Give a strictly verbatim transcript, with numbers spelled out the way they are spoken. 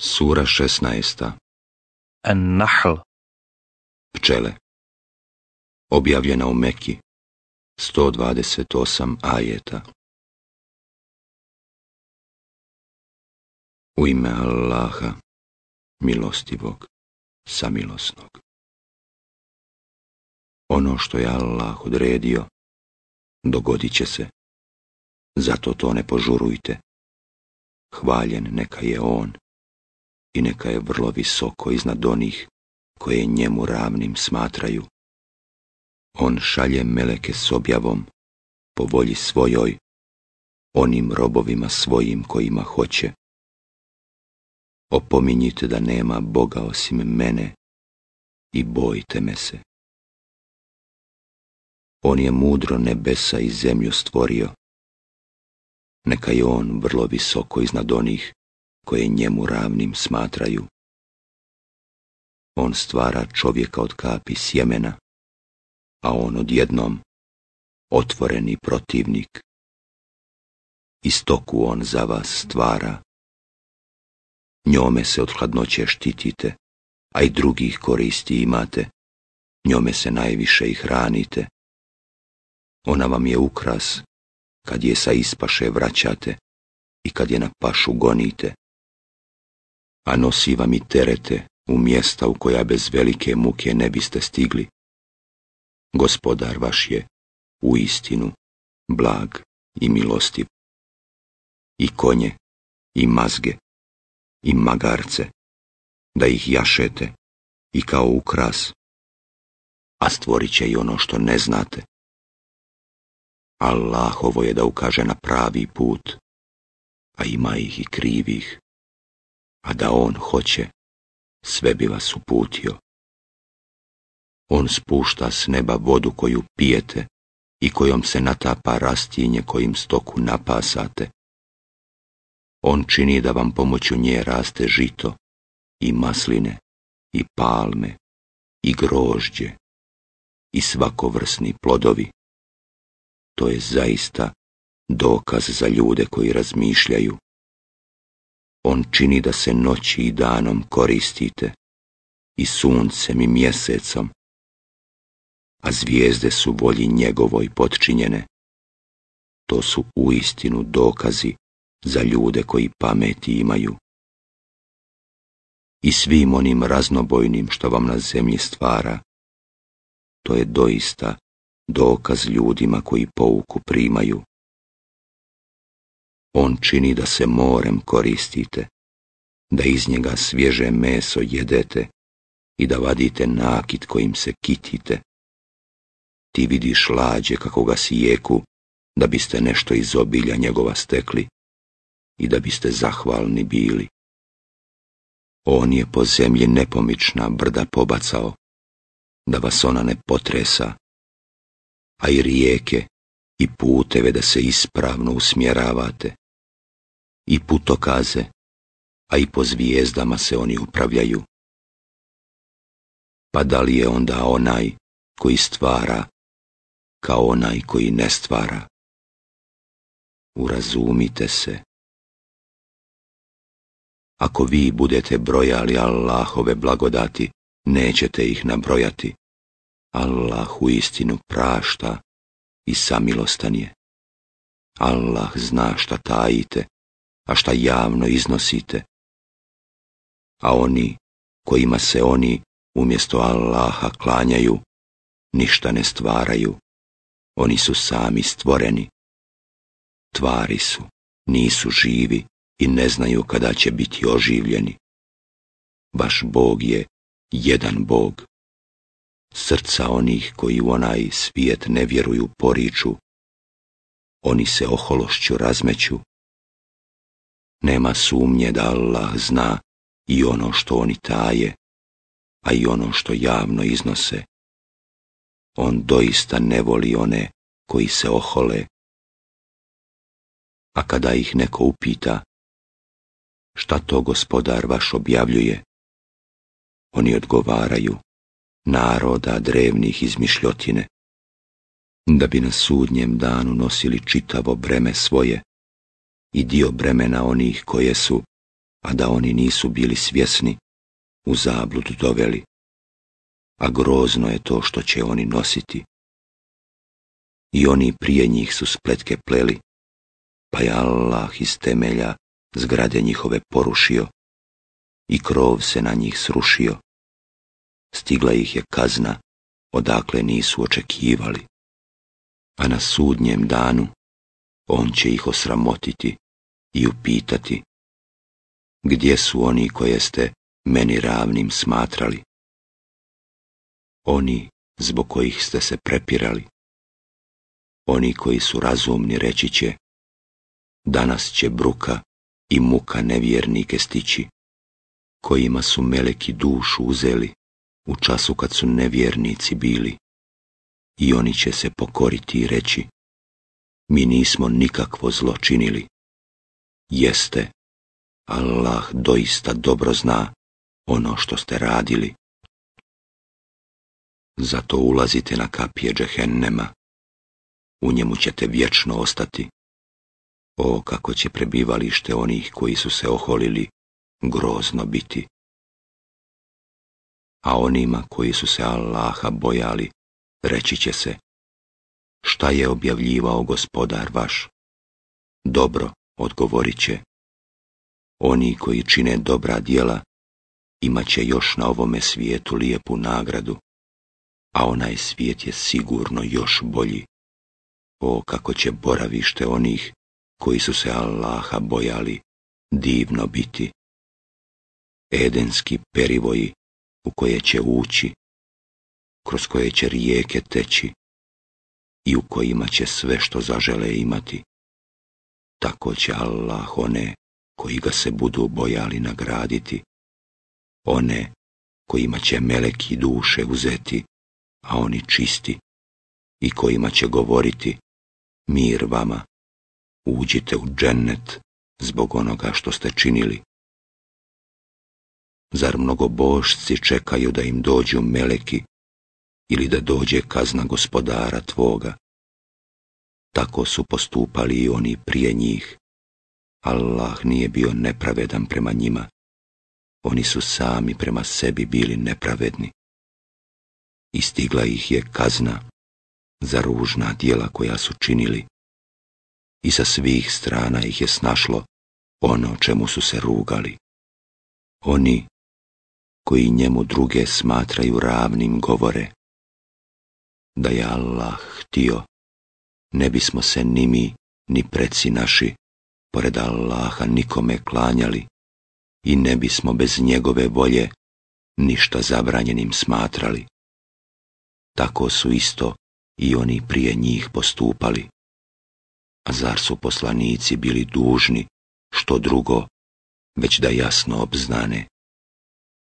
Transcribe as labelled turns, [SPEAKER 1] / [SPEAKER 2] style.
[SPEAKER 1] Sura šesnaesta.
[SPEAKER 2] An-Nahl.
[SPEAKER 1] Pčele. Objavljena u Meki. sto dvadeset osam ajeta. U ime Allaha, milostivog, samilosnog. Ono što je Allah odredio, dogodit će se. Zato to ne požurujte. Hvaljen neka je on i neka je vrlo visoko iznad onih koje njemu ravnim smatraju. On šalje meleke s objavom po volji svojoj, onim robovima svojim kojima hoće. Opominjite da nema Boga osim mene i bojte me se. On je mudro nebesa i zemlju stvorio. Neka je on vrlo visoko iznad onih koje njemu ravnim smatraju. On stvara čovjeka od kapi sjemena, a on odjednom otvoreni protivnik. I stoku on za vas stvara. Njome se od hladnoće štitite, a i drugih koristi imate. Njome se najviše i hranite. Ona vam je ukras kad je sa ispaše vraćate i kad je na pašu gonite. A nosi vam i terete u mjesta u koja bez velike muke ne biste stigli. Gospodar vaš je uistinu blag i milostiv. I konje, i mazge, i magarce, da ih jašete i kao ukras, a stvorit će i ono što ne znate. Allahovo je da ukaže na pravi put, a ima ih i krivih, a da on hoće, sve bi vas uputio. On spušta s neba vodu koju pijete i kojom se natapa rastinje kojim stoku napasate. On čini da vam pomoću nje raste žito, i masline, i palme, i grožđe, i svakovrsni plodovi. To je zaista dokaz za ljude koji razmišljaju. On čini da se noći i danom koristite, i suncem i mjesecom, a zvijezde su volji njegovoj potčinjene. To su uistinu dokazi za ljude koji pameti imaju. I svim onim raznobojnim što vam na zemlji stvara, to je doista dokaz ljudima koji pouku primaju. On čini da se morem koristite, da iz njega svježe meso jedete i da vadite nakit kojim se kitite. Ti vidiš lađe kako ga sijeku, da biste nešto iz obilja njegova stekli i da biste zahvalni bili. On je po zemlji nepomična brda pobacao, da vas ona ne potresa, a i rijeke i puteve da se ispravno usmjeravate, i putokaze, a i po zvijezdama se oni upravljaju. Pa da li je onda onaj koji stvara kao onaj koji ne stvara? Urazumite se. Ako vi budete brojali Allahove blagodati, nećete ih nabrojati. Allah uistinu prašta i samilostan je. Allah zna šta tajite, a šta javno iznosite. A oni kojima se oni umjesto Allaha klanjaju, ništa ne stvaraju. Oni su sami stvoreni. Tvari su, nisu živi i ne znaju kada će biti oživljeni. Vaš Bog je jedan Bog. Srca onih koji u onaj svijet ne vjeruju poriču. Oni se ohološću razmeću. Nema sumnje da Allah zna i ono što oni taje, a i ono što javno iznose. On doista ne voli one koji se ohole. A kada ih neko upita, šta to Gospodar vaš objavljuje, oni odgovaraju, naroda drevnih izmišljotine, da bi na sudnjem danu nosili čitavo breme svoje i dio bremena onih koje su, a da oni nisu bili svjesni, u zabludu doveli, a grozno je to što će oni nositi. I oni prije njih su spletke pleli, pa je Allah iz temelja zgrade njihove porušio i krov se na njih srušio. Stigla ih je kazna odakle nisu očekivali, a na sudnjem danu on će ih osramotiti i upitati: gdje su oni koje ste meni ravnim smatrali? Oni zbog kojih ste se prepirali. Oni koji su razumni reći će: danas će bruka i muka nevjernike stići, kojima su meleki dušu uzeli u času kad su nevjernici bili. I oni će se pokoriti i reći: mi nismo nikakvo zlo činili. Jeste, Allah doista dobro zna ono što ste radili. Zato ulazite na kapije džehennema, u njemu ćete vječno ostati. O, kako će prebivalište onih koji su se oholili grozno biti. A onima koji su se Allaha bojali reći će se: šta je objavljivao gospodar vaš? Dobro, odgovorit će: oni koji čine dobra djela imat će još na ovome svijetu lijepu nagradu, a onaj svijet je sigurno još bolji. O, kako će boravište onih koji su se Allaha bojali divno biti. Edenski perivoji u koje će ući, kroz koje će rijeke teći i u kojima će sve što zažele imati. Tako će Allah one koji ga se budu bojali nagraditi, one kojima će meleki duše uzeti, a oni čisti, i kojima će govoriti: mir vama, uđite u džennet zbog onoga što ste činili. Zar mnogobožci čekaju da im dođu meleki ili da dođe kazna gospodara tvoga? Tako su postupali i oni prije njih. Allah nije bio nepravedan prema njima. Oni su sami prema sebi bili nepravedni. I stigla ih je kazna za ružna djela koja su činili. I sa svih strana ih je snašlo ono čemu su se rugali. Oni koji njemu druge smatraju ravnim govore: da je Allah htio, ne bismo se ni mi, ni preci naši, pored Allaha nikome klanjali i ne bismo bez njegove volje ništa zabranjenim smatrali. Tako su isto i oni prije njih postupali. A zar su poslanici bili dužni što drugo, već da jasno obznane